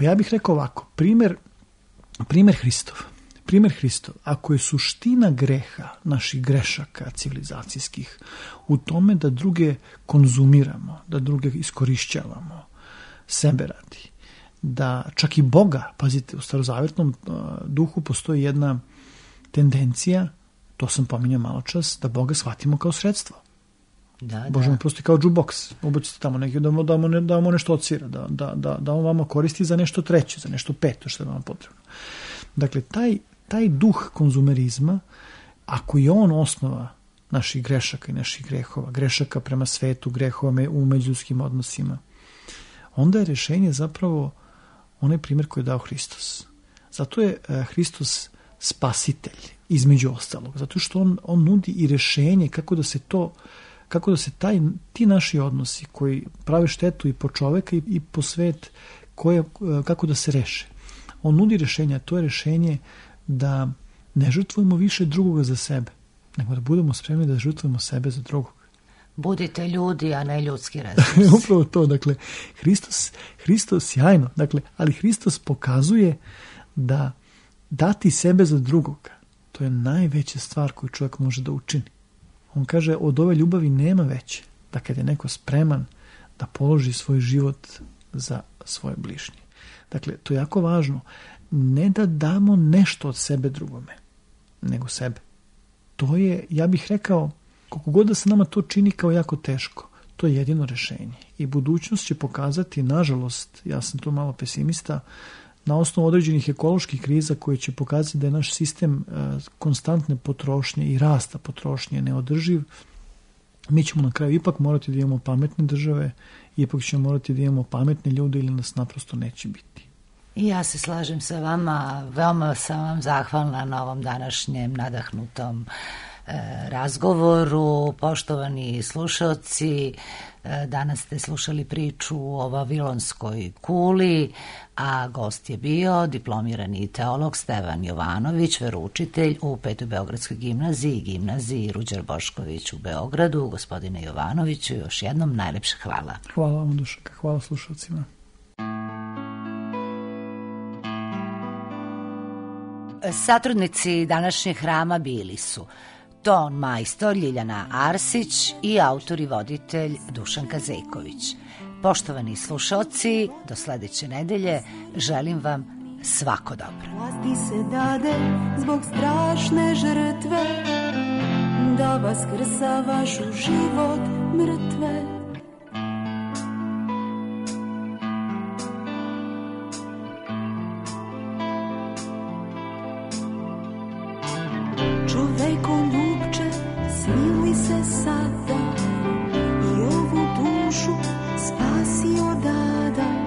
ja bih rekao ovako, primjer Hristov. Ako je suština greha, naših grešaka civilizacijskih, u tome da druge konzumiramo, da druge iskorišćavamo, sebe radi, da čak i Boga, pazite, u starozavjetnom duhu postoji jedna tendencija, to sam pominjao malo čas, da Boga shvatimo kao sredstvo. Bože mi prosti kao jukebox, ubacite tamo neki, da vam nešto odsvira, da on vama koristi za nešto treće, za nešto peto što je vam potrebno. Dakle, taj duh konzumerizma, ako je on osnova naših grešaka i naših grehova, grešaka prema svetu, grehova u međuljudskim odnosima, onda je rešenje zapravo onaj primjer koji je dao Hristos. Zato je Hristos spasitelj, između ostalog, zato što on nudi i rešenje kako da se ti naši odnosi koji prave štetu i po čoveka i po svet, kako da se reše. On nudi rešenja, to je rešenje da ne žrtvujemo više drugoga za sebe, nego da budemo spremni da žrtvujemo sebe za drugog. Budite ljudi, a ne ljudski resursi. Upravo to, dakle, Hristos sjajno, dakle, ali Hristos pokazuje da dati sebe za drugoga, to je najveća stvar koju čovjek može da učini. On kaže, od ove ljubavi nema veće, da kad je neko spreman da položi svoj život za svoje bližnje. Dakle, to je jako važno. Ne da damo nešto od sebe drugome, nego sebe. To je, ja bih rekao, koliko god da se nama to čini kao jako teško, to je jedino rešenje. I budućnost će pokazati, nažalost, ja sam tu malo pesimista, na osnovu određenih ekoloških kriza koje će pokazati da je naš sistem konstantne potrošnje i rasta potrošnje neodrživ, mi ćemo na kraju ipak morati da imamo pametne države, ipak ćemo morati da imamo pametne ljude ili nas naprosto neće biti. I ja se slažem sa vama, veoma sam vam zahvalna na ovom današnjem nadahnutom razgovoru. Poštovani slušaoci, danas ste slušali priču o Vavilonskoj kuli, a gost je bio diplomirani teolog Stevan Jovanović, veroučitelj u 5. Beogradskoj gimnaziji i gimnaziji Ruđer Bošković u Beogradu. Gospodine Jovanoviću, još jednom najlepše hvala. Hvala vam, Dušanka, hvala slušalcima. Satrudnici današnjeg hrama bili su ton majstor Ljiljana Arsić i autor i voditelj Dušanka Zejković. Poštovani slušaoci, do sledeće nedelje želim vam svako dobro. Vlasti se dade zbog strašne žrtve, da vaskrsa vašu život mrtve. Čoveko ljubče, smili se sada i ovu dušu spasi odada.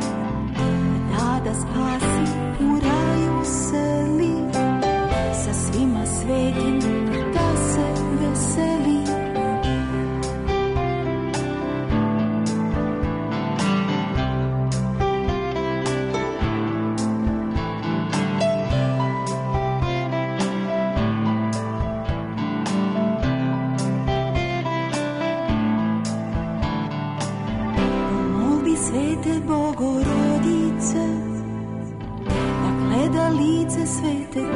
Nada spasi, u raju seli, sa svima svetim da se veseli. Svete Bogorodice, da gleda lice svete